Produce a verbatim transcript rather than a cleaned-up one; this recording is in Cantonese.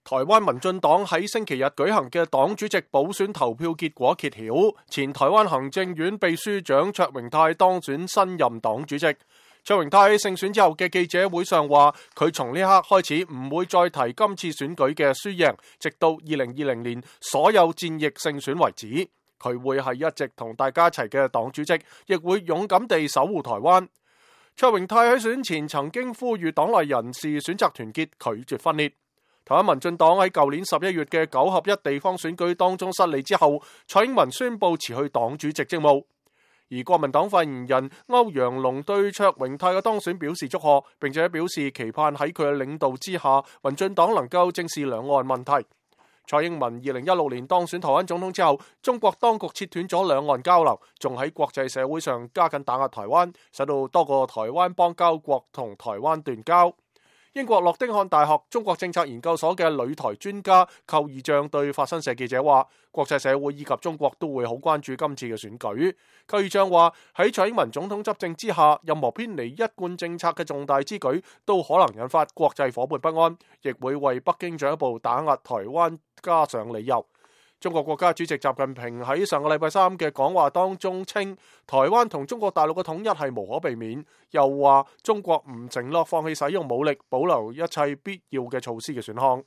台灣民進黨喺星期日舉行嘅黨主席補選投票結果揭曉，前台灣行政院秘書長卓榮泰當選新任黨主席。卓榮泰喺勝選之後嘅記者會上話，佢從呢刻開始唔會再提今次選舉嘅輸贏，直到二零二零年所有戰役勝選為止。佢會係一直同大家一齊嘅黨主席，亦會勇敢地守護台灣。卓榮泰喺選前曾經呼籲黨內人士選擇團結，拒絕分裂。台灣民進黨喺舊年十一月嘅九合一地方選舉當中失利之後，蔡英文宣布辭去黨主席職務。而國民黨發言人歐陽龍對卓榮泰嘅當選表示祝賀，並且表示期盼喺佢嘅領導之下，民進黨能夠正視兩岸問題。蔡英文二零一六年當選台灣總統之後，中國當局切斷咗兩岸交流，仲喺國際社會上加緊打壓台灣，使到多個台灣邦交國同台灣斷交。英國諾丁漢大學中國政策研究所嘅旅台專家寇義將對法新社記者話，國際社會以及中國都會好關注今次嘅選舉。寇義將話，喺蔡英文總統執政之下，任何偏離一貫政策嘅重大之舉都可能引發國際夥伴不安，亦會為北京進一步打壓台灣加上理由。中國國家主席習近平喺上個禮拜三嘅講話當中稱，台灣同中國大陸嘅統一係無可避免，又話中國唔承諾放棄使用武力，保留一切必要嘅措施嘅選項。